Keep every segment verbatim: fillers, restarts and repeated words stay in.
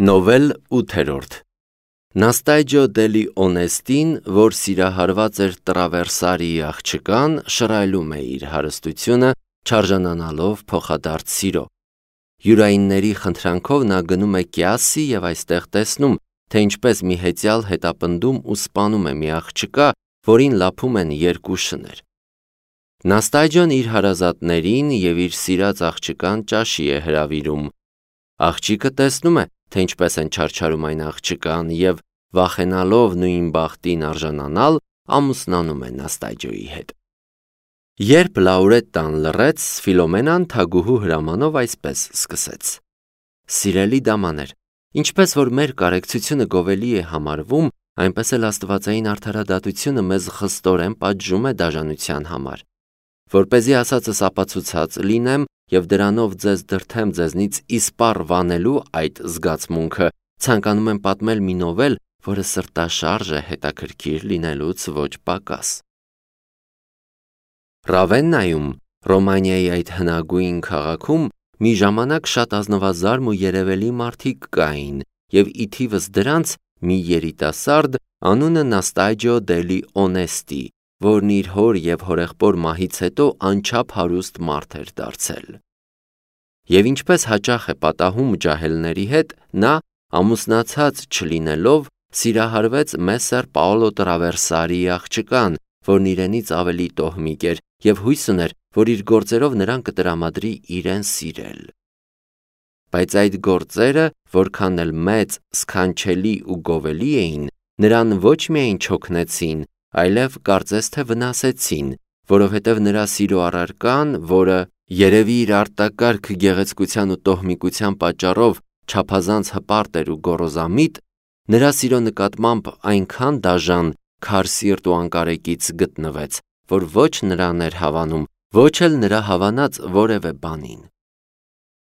Նովել ութերորդ Նաստայջո դելի Օնեստին, որ սիրահարված էր տրավերսարիի աղջկան, շռայլում է իր հարստությունը, չարժանանալով փոխադարձ սիրո։ Յուրայինների խնդրանքով նա գնում է Կիասի և այստեղ տեսնում, թե ինչպես մի հեծյալ հետապնդում ու սպանում է մի աղջկա, որին լափում են երկու շներ։ Նաստայջոն իր հարազատներին և իր սիրած աղջկան ճաշի է հրավիրում։ Աղջիկը տեսնում է, թե ինչպես են չարչարում այն աղջկան և, վախենալով նույն բախտին արժանանալ, ամուսնանում է Նաստայջոյի հետ։ Երբ Լաուրետտան լռեց, Ֆիլոմենան թագուհու հրամանով այսպես սկսեց. Սիրելի դամաներ, ինչպես որ մեր կարեկցությունը գովելի է համարվում, այնպես էլ աստվածային արդարադատությունը մեզ խստորեն պատժում է դաժանության համար։ Որպեսզի ասածս ապացուցած լինեմ և դրանով ձեզ դրդեմ ձեզնից իսպառ վանելու այդ զգացմունքը, ցանկանում եմ պատմել մի նովել, որը սրտաշարժ է հետաքրքիր լինելուց ոչ պակաս։ Ռավեննայում, Ռոմանիայի այդ հնագույն քաղաքում, մի ժամանակ շատ ազնվազարմ ու երևելի մարդիկ կային, և ի թիվս դրանց մի երիտասարդ, անունը Նաստայջո դելի Օնեստի, որն իր հոր և հորեղբոր մահից հետո անչափ հարուստ մարդ էր դարձել։ Եվ ինչպես հաճախ է պատահում ջահելների հետ, նա, ամուսնացած չլինելով, սիրահարվեց Մեսսեր Պաոլո Տրավերսարիի աղջկան, որն իրենից ավելի տոհմիկ էր և հույս ուներ, որ իր գործերով նրան կտրամադրի իրեն սիրել։ Բայց այդ գործերը, որքան էլ մեծ, սքանչելի ու գովելի էին, նրան ոչ միայն չօգնեցին, այլև կարծես թե վնասեցին, որովհետև նրա սիրո առարկան, որը երևի իր արտակարգ գեղեցկության ու տոհմիկության պատճառով չափազանց հպարտ էր ու գոռոզամիտ, նրա սիրո նկատմամբ այնքան դաժան, քարսիրտ ու անկարեկից գտնվեց, որ ոչ նրան էր հավանում, ոչ էլ նրա հավանած որևէ բանին։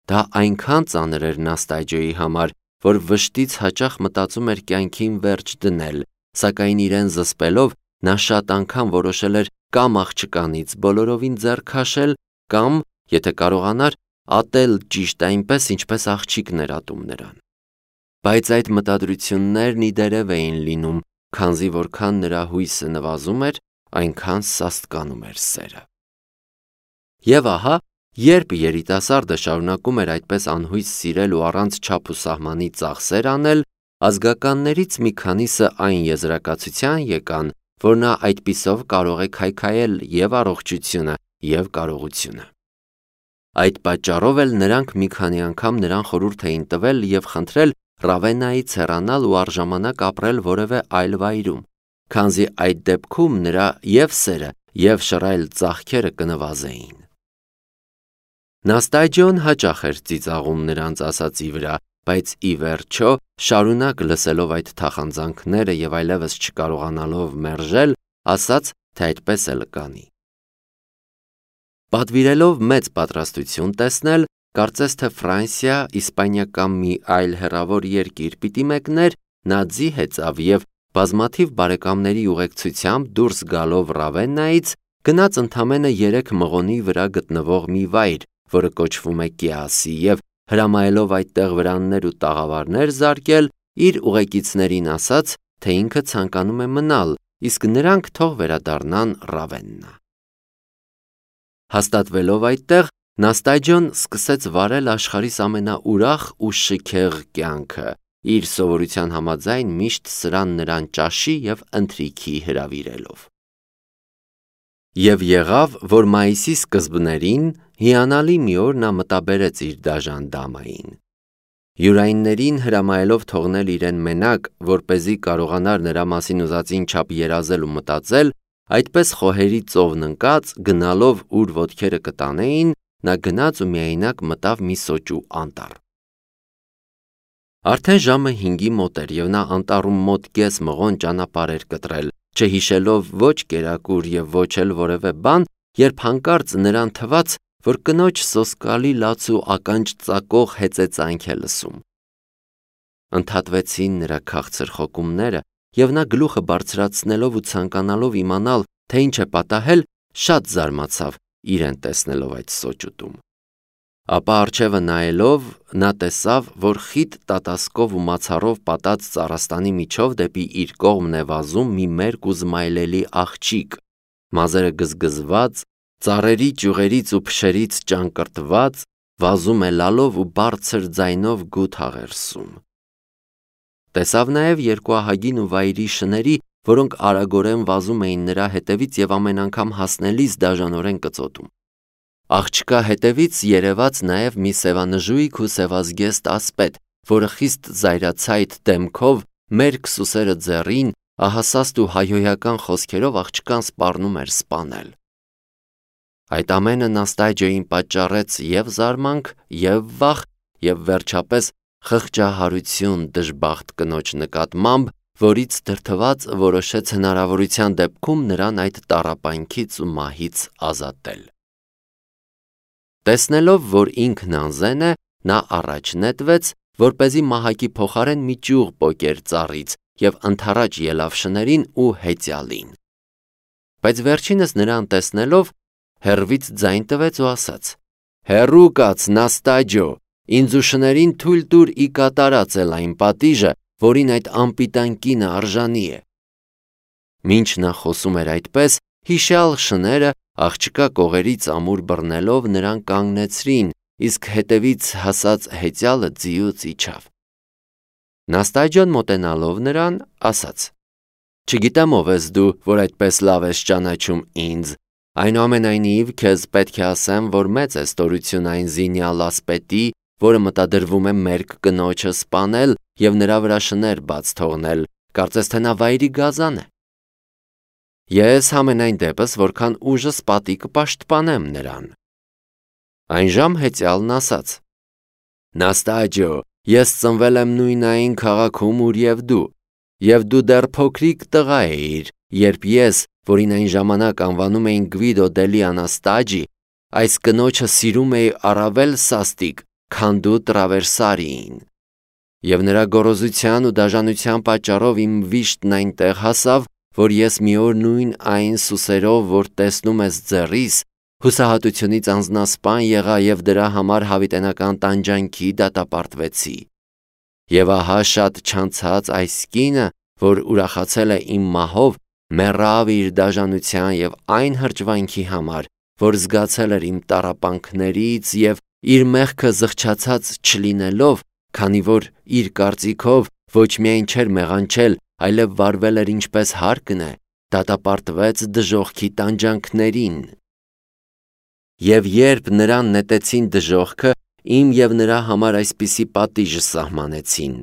Դա այնքան ծանր էր Նաստայջոյի համար, որ վշտից հաճախ մտածում էր կյանքին վերջ դնել, սակայն իրեն զսպելով, նա շատ անգամ որոշել էր կամ աղջկանից բոլորովին ձեռք քաշել, կամ, եթե կարողանար, ատել ճիշտ այնպես, ինչպես աղջիկն էր ատում նրան։ Բայց այդ մտադրություններն ի դերև էին լինում, քանզի որքան նրա հույսը նվազում էր, այնքան սաստկանում էր սերը։ Եվ ահա, երբ երիտասարդը շարունակում էր այդպես անհույս սիրել ու առանց չափ ու սահմանի ծախսեր անել, ազգականներից մի քանիսը այն եզրակացության եկան, որ նա այդպիսով կարող է քայքայել և առողջությունը, և կարողությունը։ Այդ պատճառով էլ նրանք մի քանի անգամ նրան խորհուրդ էին տվել և խնդրել Ռավեննայից հեռանալ ու առժամանակ ապրել որևէ այլ վայրում, քանզի այդ դեպքում նրա և սերը, և շռայլ ծախքերը կնվազեին։ Նաստայջոն հաճախ էր ծիծաղում նրանց ասածի վրա, բայց ի վերջո, շարունակ լսելով այդ թախանձանքները և այլևս չկարողանալով մերժել, ասաց, թե այդպես էլ կանի։ Պատվիրելով մեծ պատրաստություն տեսնել, կարծես թե Ֆրանսիա, Իսպանիա կամ մի այլ հեռավոր երկիր պիտի մեկներ, նա ձի հեծավ և, բազմաթիվ բարեկամների ուղեկցությամբ դուրս գալով Ռավեննայից, գնաց ընդամենը երեք մղոնի վրա գտնվող մի վայր, որը կոչվում է Կիասի, և հրամայելով այդտեղ վրաններ ու տաղավարներ զարկել, իր ուղեկիցներին ասաց, թե ինքը ցանկանում է մնալ, իսկ նրանք թող վերադառնան Ռավեննա։ Հաստատվելով այդտեղ, Նաստայջոն սկսեց վարել աշխարհիս ամենաուրախ ու շքեղ կյանքը, իր սովորության համաձայն միշտ սրան նրան ճաշի և ընթրիքի հրավիրելով։ Եվ եղավ, որ մայիսի սկզբներին, հիանալի մի օր նա մտաբերեց իր դաժան դամային։ Յուրայիններին հրամայելով թողնել իրեն մենակ, որպեսզի կարողանար նրա մասին ուզածին չափ երազել ու մտածել, այդպես խոհերի ծովն ընկած, գնալով ուր ոտքերը կտանեին, նա գնաց ու միայնակ մտավ մի սոճու անտառ։ Արդեն ժամը հինգի մոտ էր, և նա անտառում մոտ կես մղոն ճանապարհ էր կտրել, չհիշելով ոչ կերակուր և ոչ էլ որևէ բան, երբ հանկարծ նրան թվաց, որ կնոջ սոսկալի լաց ու ականջ ծակող հեծեծանք է լսում։ Ընդհատվեցին նրա քաղցր խոկումները, և նա գլուխը բարձրացնելով ու ցանկանալով իմանալ, թե ինչ է պատահել, շատ զարմացավ իրեն տեսնելով այդ սոճուտում։ Ապա առջևը նայելով նա տեսավ, որ խիտ տատասկով ու մացառով պատած ծառաստանի միջով դեպի իր կողմն է վազում մի մերկ ու զմայլելի աղջիկ, մազերը գզգզված, ծառերի ճյուղերից ու փշերից ճանկռտված, վազում է լալով ու բարձր ձայնով գութ աղերսում։ Տեսավ նաև երկու ահագին ու վայրի շների, որոնք արագորեն վազում էին նրա հետևից և ամեն անգամ հասնելիս դաժանորեն կծոտում։ Աղջկա հետևից երևաց նաև մի սևանժույգ ու սևազգեստ ասպետ, որը խիստ զայրացայտ դեմքով, մերկ սուսերը ձեռին, ահասաստ ու հայհոյական խոսքերով աղջկան սպառնում էր սպանել։ Այդ ամենը Նաստաջիոյին պատճառեց և զարմանք, և վախ, և վերջապես խղճահարություն դժբախտ կնոջ նկատմամբ, որից դրդված որոշեց հնարավորության դեպքում նրան այդ տառապանքից ու մահից ազատել։ Տեսնելով, որ ինքն անզեն է, նա առաջ նետվեց, որպեսզի մահակի փոխարեն մի ճյուղ պոկեր ծառից և ընդառաջ ելավ շներին ու հեծյալին։ Բայց վերջինս նրան տեսնելով, հեռվից ձայն տվեց ու ասաց. «Հեռու կաց, Նաստաջո, ինձ ու շներին թույլ տուր ի կատարածել այն պատիժը, որին այդ անպիտան կինը արժանի է»։ Մինչ նա խոսում էր այդպես, հիշյալ շները աղջկա կողերից ամուր բռնելով նրան կանգնեցրին, իսկ հետևից հասած հեծյալը ձիուց իջավ։ Նաստաջոն մոտենալով նրան, ասաց. «Չգիտեմ ով ես դու, որ այդպես լավ ես ճանաչում ինձ, այնուամենայնիվ քեզ պետք է ասեմ, որ մեծ է ստորություն այն զինյալ ասպետի, որը մտադրվում է մերկ կնոջը սպանել և նրա վրա շներ բաց թողնել, կարծես թե նա վայրի գազան է։ Ես համենայն դեպս որքան ուժս պատի կպաշտպանեմ նրան»։ Այնժամ հեծյալն ասաց. «Նաստաջո, ես ծնվել եմ նույն այն քաղաքում, ուր և դու, և դու դեռ փոքրիկ տղա էիր, երբ ես, որին այն ժամանակ անվանում էին Գվիդո դելի Անաստաջի, այս կնոջը սիրում էի առավել սաստիկ, քան դու Տրավերսարիին։ Եվ նրա գոռոզության ու դաժանության պատճառով իմ վիշտն այնտեղ հասավ, որ ես մի օր նույն այն սուսերով, որ տեսնում ես ձեռիս, հուսահատությունից անձնասպան եղա և դրա համար հավիտենական տանջանքի դատապարտվեցի։ Եվ ահա շատ չանցած այս կինը, որ ուրախացել է իմ մահով, մեռավ իր դաժանության և այն հրճվանքի համար, որ զգացել էր իմ տառապանքներից և իր մեղքը զղջացած չլինելով, քանի որ իր կարծիքով ոչ միայն չէր մեղանչել, այլև վարվել էր ինչպես հարկն է, դատապարտվեց դժոխքի տանջանքներին։ Եվ երբ նրան նետեցին դժոխքը, իմ և նրա համար այսպիսի պատիժ սահմանեցին.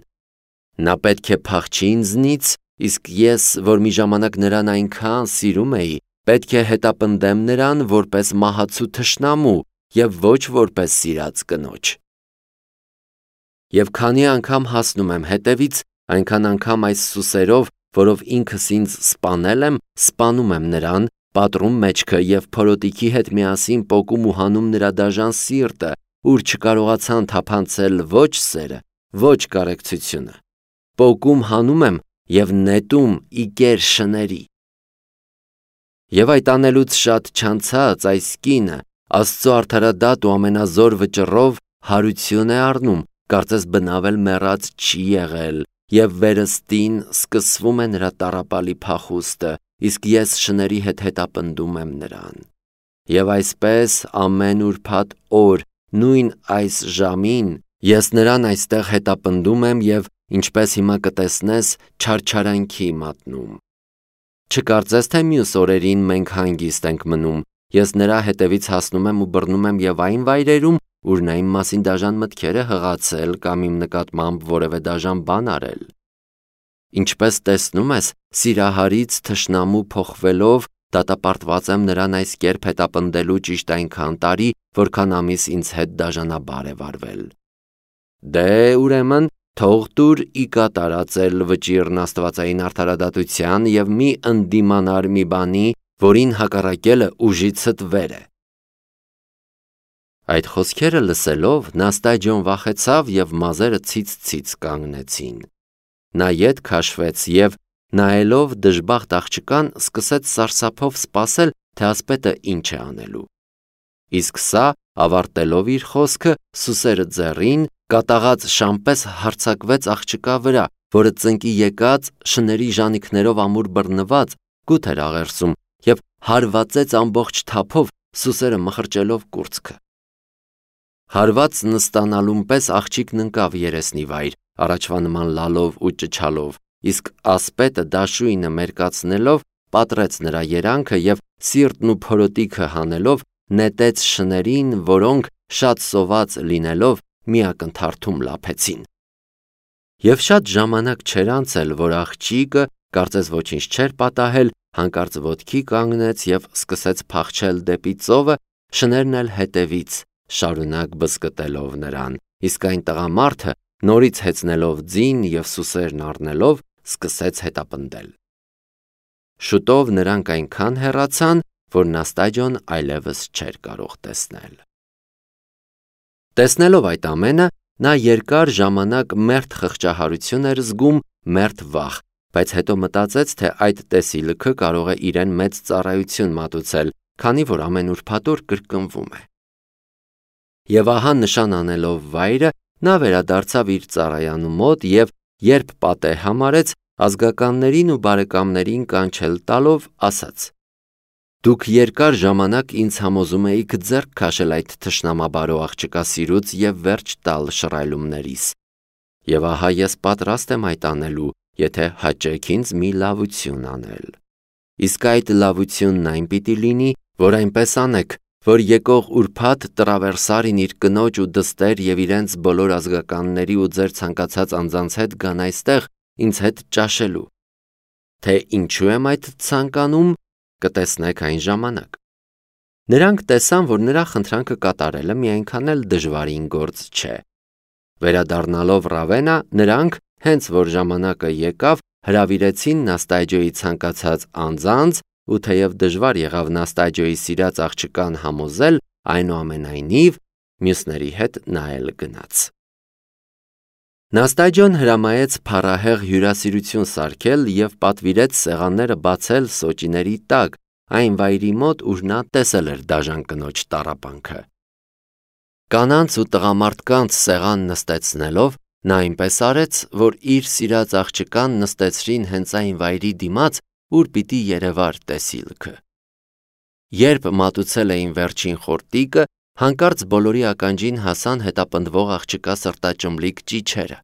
նա պետք է փախչի ինձնից, իսկ ես, որ մի ժամանակ նրան այնքան սիրում էի, պետք է հետապնդեմ նրան որպես մահացու թշնամու և ոչ որպես սիրած կնոջ։ Եվ քանի անգամ հասնում եմ հետևից, այնքան անգամ այս սուսերով, որով ինքս ինձ սպանել եմ, սպանում եմ նրան, պատռում մեջքը և փորոտիքի հետ միասին պոկում ու հանում նրա դաժան սիրտը, ուր չկարողացան թափանցել ոչ սերը, ոչ կարեկցությունը, պոկում հանում եմ և նետում ի կեր շների։ Եվ այդ անելուց շատ չանցած այս կինը, Աստծո արդարադատ ու ամենազոր վճռով, հարություն է առնում, կարծես բնավ էլ մեռած չի եղել, և վերստին սկսվում է նրա տառապալի փախուստը, իսկ ես շների հետ հետապնդում եմ նրան։ Եվ այսպես ամեն ուրբաթ օր, նույն այս ժամին, ես նրան այստեղ հետապնդում եմ և, ինչպես հիմա կտեսնես, չարչարանքի մատնում։ Չկարծես, թե մյուս օրերին մենք հանգիստ ենք մնում, ես նրա հետևից հասնում եմ ու բռնում եմ և այն վայրերում, ուր նա իմ մասին դաժան մտքեր է հղացել կամ իմ նկատմամբ որևէ դաժան բան արել։ Ինչպես տեսնում ես, սիրահարից թշնամու փոխվելով, դատապարտված եմ նրան այս կերպ հետապնդելու ճիշտ այնքան տարի, որքան ամիս ինձ հետ դաժանաբար է վարվել։ Դե, ուրեմն, թող տուր ի կատարածել վճիռն աստվածային արդարադատության և մի ընդդիմանար մի բանի, որին հակառակելը ուժիցդ վեր է։ Այդ խոսքերը լսելով Նաստաջոն վախեցավ և մազերը ցից-ցից կանգնեցին։ Նա ետ քաշվեց և, նայելով դժբախտ աղջկան, սկսեց սարսափով սպասել, թե ասպետը ինչ է անելու։ Իսկ սա, ավարտելով իր խոսքը, սուսերը ձեռին, կատաղած շամպես հարձակվեց աղջկա վրա, որը ծնկի եկած, շների ժանիքներով ամուր բռնված, գութ էր աղերսում և հարվածեց ամբողջ թափով, սուսերը մխրճելով կուրծքը։ Հարվածն ստանալուն պես աղջիկն ընկավ երեսնի վայր, առաջվա նման լալով ու ճչալով, իսկ ասպետը դաշույնը մերկացնելով պատռեց նրա երանքը և սիրտն ու փորոտիքը հանելով նետեց շներին, որոնք շատ սոված լինելով մի ակնթարթում լափեցին։ Եվ շատ ժամանակ չէր անցել, որ աղջիկը, կարծես ոչինչ չէր պատահել, հանկարծ ոտքի կանգնեց և սկսեց փախչել դեպի ծովը, շներն էլ հետևից, շարունակ բզկտելով նրան, իսկ այն տղամարդը, նորից հեծնելով ձին և սուսերն առնելով, սկսեց հետապնդել։ Շուտով նրանք այնքան հեռացան, որ Նաստաջոն այլևս չէր կարող տեսնել։ Տեսնելով այդ ամենը, նա երկար ժամանակ մերթ խղճահարություն էր զգում, մերթ վախ, բայց հետո մտածեց, թե այդ տեսիլքը կարող է իրեն մեծ ծառայություն մատուցել, քանի որ ամեն ուրբաթ օր կրկնվում է։ Եվ ահա նշան անելով վայրը, նա վերադարձավ իր ծառայանու մոտ և, երբ պատեհ համարեց, ազգականներին ու բարեկամներին կանչել տալով, ասաց. «Դուք երկար ժամանակ ինձ համոզում էիք ձեռք քաշել այդ թշնամաբարո աղջկա սիրուց և վերջ տալ շռայլումներիս։ Եվ ահա ես պատրաստ եմ այդ անելու, եթե հաճեք ինձ մի լավություն անել։ Իսկ այդ լավությունն այն պիտի լինի, որ այնպես անեք, որ եկող ուրբաթ տրավերսարին իր կնոջ ու դստեր և իրենց բոլոր ազգականների ու ձեր ցանկացած անձանց հետ գան այստեղ ինձ հետ ճաշելու։ Թե ինչու եմ այդ ցանկանում, կտեսնեք այն ժամանակ»։ Նրանք տեսան, որ նրա խնդրանքը կատարելը միայնքան էլ դժվարին գործ չէ։ Վերադառնալով Ռավենա, նրանք, հենց որ ժամանակը եկավ, հրավիրեցին Նաստաջիոյի ցանկացած անձանց, ու թեև դժվար եղավ Նաստաջիոյի սիրած աղջկան համոզել, այնուամենայնիվ մյուսների հետ նա էլ գնաց։ Նաստաջիոն հրամայեց փառահեղ հյուրասիրություն սարքել և պատվիրեց սեղանները բացել սոճիների տակ, այն վայրի մոտ, ուր նա տեսել էր դաժան կնոջ տառապանքը։ Կանանց ու տղամարդկանց սեղան նստեցնելով, նա այնպես արեց, որ իր սիրած աղջկան նստեցրին հենց այն վայրի դիմաց, ուր պիտի երևար տեսիլքը։ Երբ մատուցել էին վերջին խորտիկը, հանկարծ բոլորի ականջին հասան հետապնդվող աղջկա սրտաճմլիկ ճիչերը։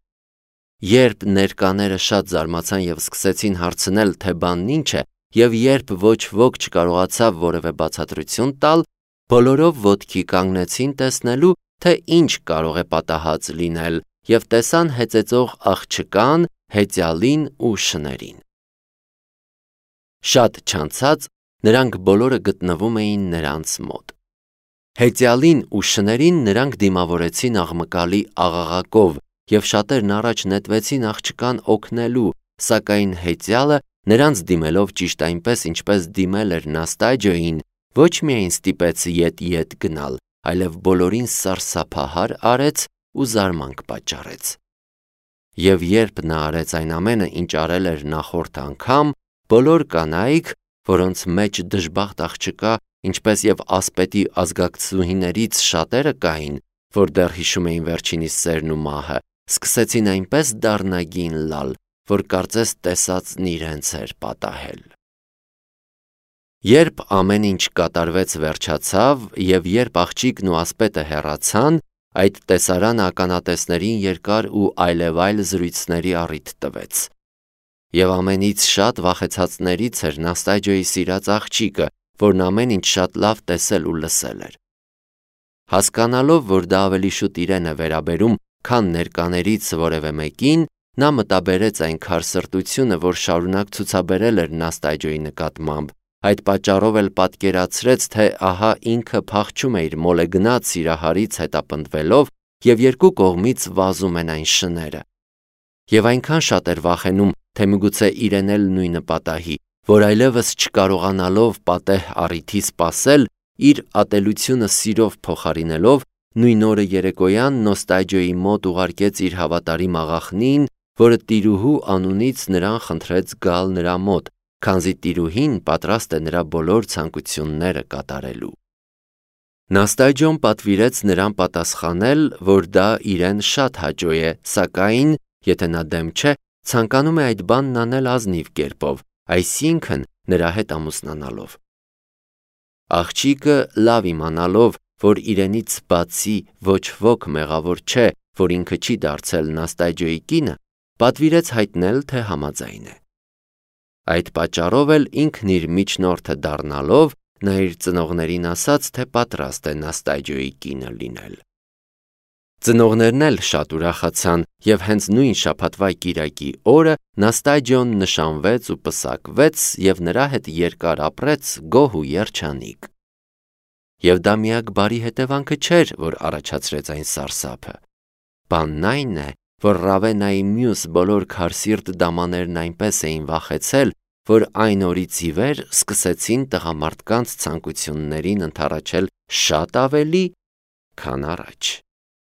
Երբ ներկաները շատ զարմացան և սկսեցին հարցնել, թե բանն ինչ է, և երբ ոչ ոք չկարողացավ որևէ բացատրություն տալ, բոլորով ոտքի կանգնեցին տեսնելու, թե ինչ կարող է պատահած լինել, և տեսան հեծեծող աղջկան, հեծյալին ու շներին։ Շատ չանցած նրանք բոլորը գտնվում էին նրանց մոտ։ Հեծյալին ու շներին նրանք դիմավորեցին աղմկալի աղաղակով, և շատերն առաջ նետվեցին աղջկան օգնելու, սակայն հեծյալը, նրանց դիմելով ճիշտ այնպես, ինչպես դիմել էր Նաստաջիոյին, ոչ միայն ստիպեց ետ-ետ գնալ, այլև բոլորին սարսափահար արեց ու զարմանք պատճառեց։ Եվ երբ նա արեց այն ամենը, ինչ արել էր նախորդ անգամ, բոլոր կանայք, որոնց մեջ դժբախտ աղջկա, ինչպես և ասպետի ազգակցուհիներից շատերը կային, որ դեռ հիշում էին վերջինիս սերն ու մահը, սկսեցին այնպես դառնագին լալ, որ կարծես տեսածն իրենց էր պատահել։ Երբ ամեն ինչ կատարվեց վերջացավ, և երբ աղջիկն ու ասպետը հեռացան, այդ տեսարանը ականատեսներին երկար ու այլևայլ զրույցների առիթ տվեց։ Եվ ամենից շատ վախեցածներից էր Նաստաջիոյի սիրած աղջիկը, որն ամեն ինչ շատ լավ տեսել ու լսել էր։ Հասկանալով, որ դա ավելի շուտ իրեն է վերաբերում, քան ներկաներից որևէ մեկին, նա մտաբերեց այն քարսրտությունը, որ շարունակ ցուցաբերել էր Նաստաջիոյի նկատմամբ, այդ պատճառով էլ պատկերացրեց, թե ահա ինքը փախչում է իր մոլեգնած սիրահարից հետապնդվելով, և երկու կողմից վազում են այն շները։ Եվ այնքան շատ էր վախենում, թե միգուցե իրեն էլ նույնը պատահի, որ այլևս չկարողանալով պատեհ առիթի սպասել, իր ատելությունը սիրով փոխարինելով, նույն օրը երեկոյան Նոստաջիոյի մոտ ուղարկեց իր հավատարիմ աղախնին, որը տիրուհու անունից նրան խնդրեց գալ նրա մոտ, քանզի տիրուհին պատրաստ է նրա բոլոր ցանկությունները կատարելու։ Նաստայջոն պատվիրեց նրան պատասխանել, որ դա իրեն շատ հաճո է, սակայն, եթե նա դեմ չէ, ցանկանում է այդ բանն անել ազնիվ կերպով, այսինքն նրա հետ ամուսնանալով։ Աղջիկը լավ իմանալով, որ իրենից բացի ոչ ոք մեղավոր չէ, որ ինքը չի դարձել Նաստայջոյի կինը, պատվիրեց հայտնել, թե համաձայն է։ Այդ պատճառով էլ ինքն իր միջնորդը դառնալով, նա իր ծնողներին ասաց, թե պատրաստ է Նաստայջոյի կինը լինել։ Ծնողներն էլ շատ ուրախացան, և հենց նույն շաբաթվա կիրակի օրը Նաստայջոն նշանվեց ու պսակվեց և նրա հետ երկար ապրեց գոհ ու երջանիկ։ Եվ դա միակ բարի հետևանքը չէր, որ առաջացրեց այն սարսափը։ Բանն այն է, որ Ռավենայի մյուս բոլոր քարսիրտ դամաներն այնպես էին վախեցել, որ այն օրից ի վեր սկսեցին տղամարդկանց ցանկություններին ընդառաջել շատ ավելի, քան առաջ։